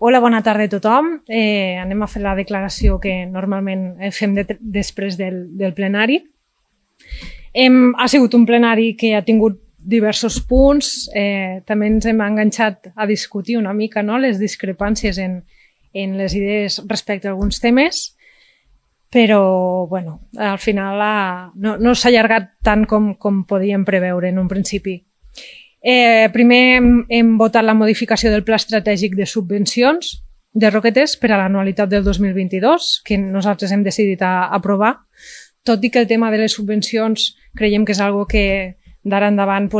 Hola, bona tarda a tothom. Anem a fer la declaració que normalment fem després del plenari. Ha sigut un plenari que ha tingut diversos punts. També ens hem enganxat a discutir una mica, no?, les discrepàncies en les idees respecte a alguns temes, però bueno, al final no s'ha allargat tant com podíem preveure en un principi. Primer hem votat la modificació del Pla Estratègic de Subvencions de Roquetes per a l'anualitat del 2022, que nosaltres hem decidit aprovar, tot i que el tema de les subvencions creiem que és una cosa que d'ara endavant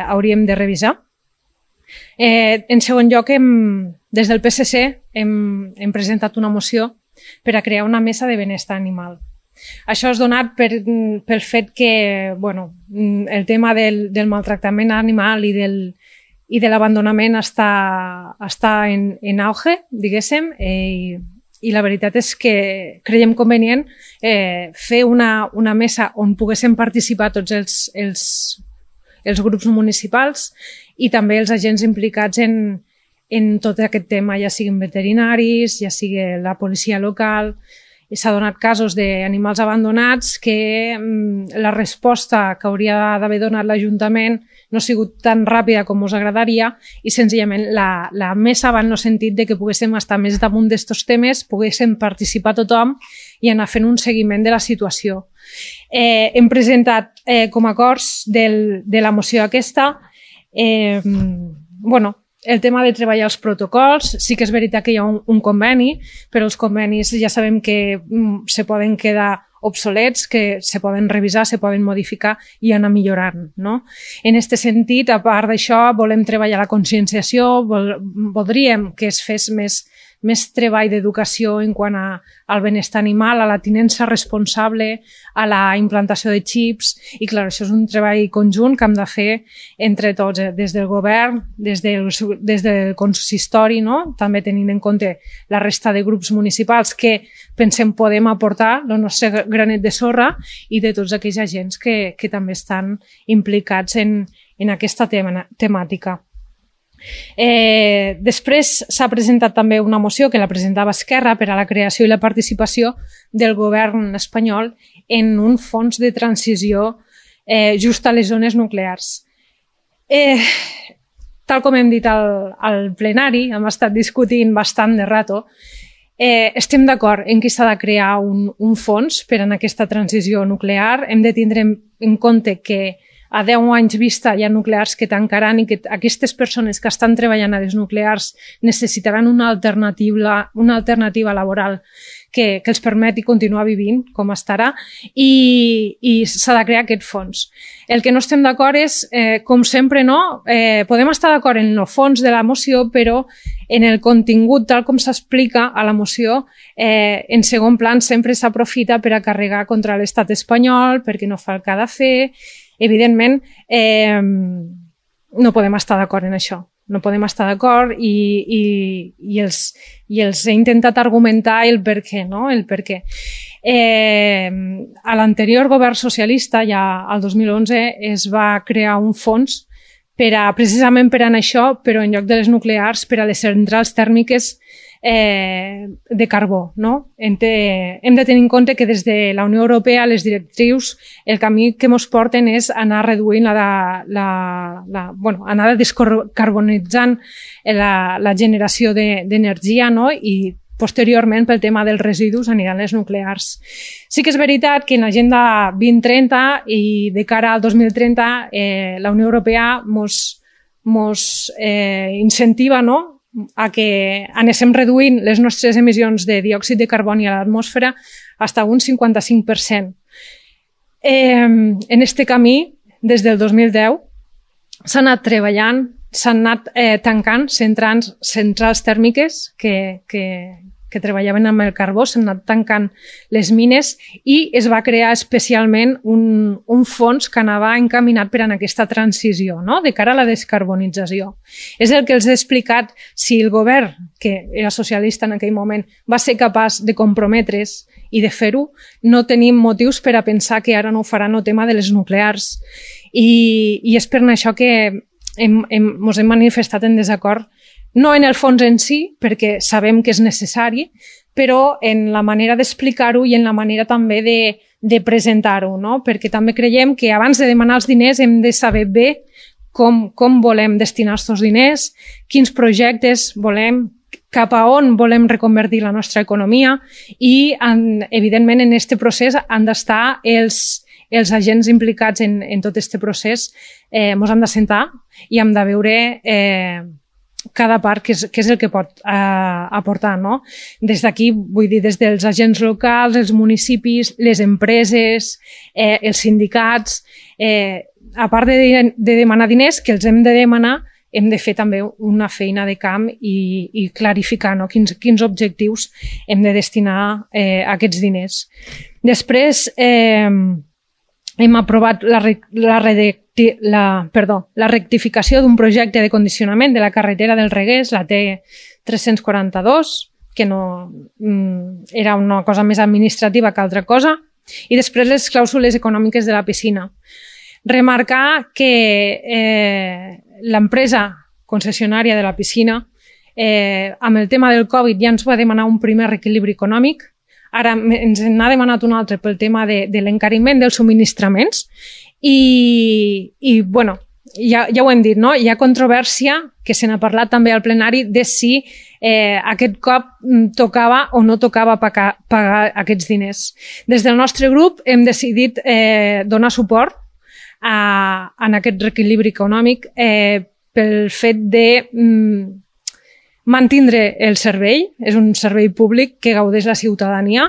hauríem de revisar. En segon lloc, des del PSC hem presentat una moció per a crear una mesa de benestar animal. Això és donat pel fet que el tema del maltractament animal i de l'abandonament està en auge, diguéssim, i la veritat és que creiem convenient fer una mesa on poguéssim participar tots els grups municipals i també els agents implicats en tot aquest tema, ja siguin veterinaris, ja sigui la policia local. S'ha donat casos d'animals abandonats que la resposta que hauria d'haver donat l'Ajuntament no ha sigut tan ràpida com us agradaria i senzillament la mesa va en el sentit de que poguéssim estar més damunt d'estos temes, poguéssim participar tothom i anar fent un seguiment de la situació. Hem presentat com a acords de la moció aquesta el tema de treballar els protocols. Sí que és veritat que hi ha un conveni, però els convenis ja sabem que se poden quedar obsolets, que se poden revisar, se poden modificar i anar millorant, no? En aquest sentit, a part d'això, volem treballar la conscienciació, voldríem que es fes més treball d'educació en quant al benestar animal, a la tinença responsable, a la implantació de xips, i clar, això és un treball conjunt que hem de fer entre tots, des del govern, des del consistori, no?, també tenint en compte la resta de grups municipals que pensem podem aportar el nostre granet de sorra i de tots aquells agents que també estan implicats en aquesta temàtica. Després s'ha presentat també una moció que la presentava Esquerra per a la creació i la participació del govern espanyol en un fons de transició just a les zones nuclears. Tal com hem dit al plenari, hem estat discutint bastant de rato, estem d'acord en que s'ha de crear un fons per a aquesta transició nuclear. Hem de tindre en compte que a 10 anys vista hi ha nuclears que tancaran i que aquestes persones que estan treballant a les nuclears necessitaran una alternativa laboral que els permeti continuar vivint com estarà i s'ha de crear aquest fons. El que no estem d'acord és, com sempre, no? Podem estar d'acord en el fons de la moció, però en el contingut, tal com s'explica a la moció, en segon plan sempre s'aprofita per a carregar contra l'estat espanyol, perquè no fa el que ha de fer. Evidentment, no podem estar d'acord en això. No podem estar d'acord i els he intentat argumentar el per què, no? El per què. A l'anterior govern socialista, ja al 2011, es va crear un fons precisament per a això, però en lloc de les nuclears, per a les centrals tèrmiques de carbó, no? Hem de tenir en compte que des de la Unió Europea les directrius, el camí que ens porten és anar reduint anar descarbonitzant la generació d'energia, no? I posteriorment pel tema dels residus aniran les nuclears. Sí que és veritat que en l'Agenda 2030 i de cara al 2030 la Unió Europea ens incentiva, no?, a que anéssim reduint les nostres emissions de diòxid de carboni a l'atmosfera fins a un 55%. En aquest camí, des del 2010, s'ha anat treballant, s'han anat tancant centrals tèrmiques que treballaven amb el carbó, s'han anat tancant les mines i es va crear especialment un fons que anava encaminat per a aquesta transició, no?, de cara a la descarbonització. És el que els he explicat. Si el govern, que era socialista en aquell moment, va ser capaç de comprometre's i de fer-ho, no tenim motius per a pensar que ara no ho faran el tema de les nuclears. I és per això que ens hem manifestat en desacord no en el fons en si, perquè sabem que és necessari, però en la manera d'explicar-ho i en la manera també de presentar-ho, no? Perquè també creiem que abans de demanar els diners hem de saber bé com volem destinar aquests diners, quins projectes volem, cap a on volem reconvertir la nostra economia i, evidentment, en aquest procés han d'estar els agents implicats en tot aquest procés, ens han de sentar i hem de veure cada part què és el que pot aportar, no? Des d'aquí, vull dir, des dels agents locals, els municipis, les empreses, els sindicats, a part de demanar diners, que els hem de demanar, hem de fer també una feina de camp i clarificar, no? Quins objectius hem de destinar a aquests diners. Després, hem aprovat la rectificació d'un projecte de condicionament de la carretera del Reguers, la T342, que no era una cosa més administrativa que altra cosa, i després les clàusules econòmiques de la piscina. Remarcar que l'empresa concessionària de la piscina, amb el tema del Covid ja ens va demanar un primer reequilibri econòmic. Ara ens n'ha demanat un altre pel tema de l'encariment dels subministraments i bueno, ja ho hem dit, no? Hi ha controvèrsia, que se n'ha parlat també al plenari, de si aquest cop tocava o no tocava pagar aquests diners. Des del nostre grup hem decidit donar suport en aquest reequilibri econòmic pel fet de mantindre el servei, és un servei públic que gaudeix la ciutadania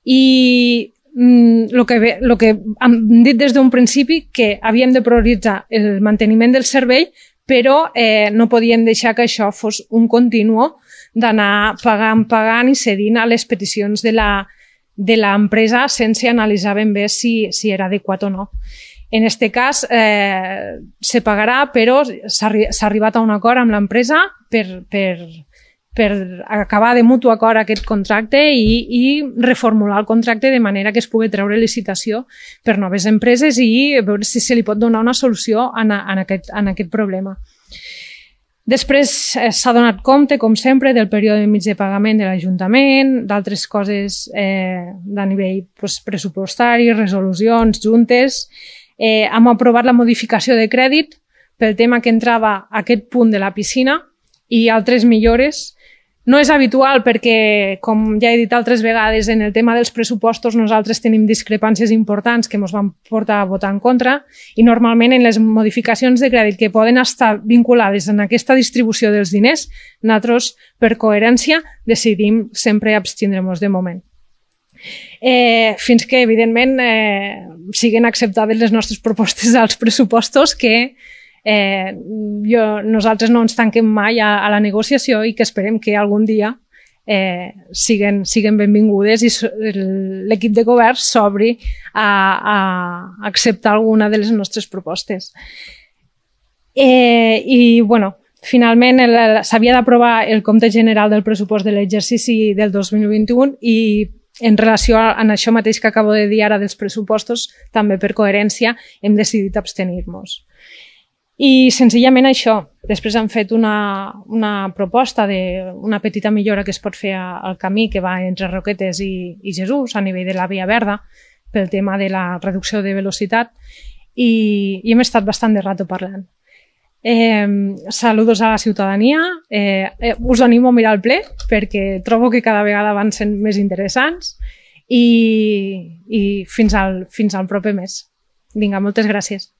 i el que hem dit des d'un principi que havíem de prioritzar el manteniment del servei, però no podíem deixar que això fos un continu d'anar pagant i cedint a les peticions de l'empresa sense analitzar ben bé si era adequat o no. En aquest cas se pagarà, però s'ha arribat a un acord amb l'empresa per acabar de mutu acord aquest contracte i reformular el contracte de manera que es pugui treure licitació per noves empreses i veure si se li pot donar una solució en aquest problema. Després s'ha donat compte, com sempre, del període mig de pagament de l'Ajuntament, d'altres coses a nivell pressupostari, resolucions, juntes. Hem aprovat la modificació de crèdit pel tema que entrava a aquest punt de la piscina i altres millores. No és habitual perquè, com ja he dit altres vegades, en el tema dels pressupostos nosaltres tenim discrepàncies importants que ens van portar a votar en contra i normalment en les modificacions de crèdit que poden estar vinculades en aquesta distribució dels diners, nosaltres, per coherència, decidim sempre abstindre-nos de moment. Fins que, evidentment, siguin acceptades les nostres propostes als pressupostos que nosaltres no ens tanquem mai a la negociació i que esperem que algun dia siguen benvingudes i l'equip de govern s'obri a acceptar alguna de les nostres propostes. I, bueno, finalment s'havia d'aprovar el compte general del pressupost de l'exercici del 2021 i en relació a això mateix que acabo de dir ara dels pressupostos, també per coherència hem decidit abstenir-nos. I senzillament això. Després han fet una proposta d'una petita millora que es pot fer al camí que va entre Roquetes i Jesús a nivell de la via verda pel tema de la reducció de velocitat i hem estat bastant de rato parlant. Saludos a la ciutadania. Us animo a mirar el ple perquè trobo que cada vegada van sent més interessants i fins al proper mes. Vinga, moltes gràcies.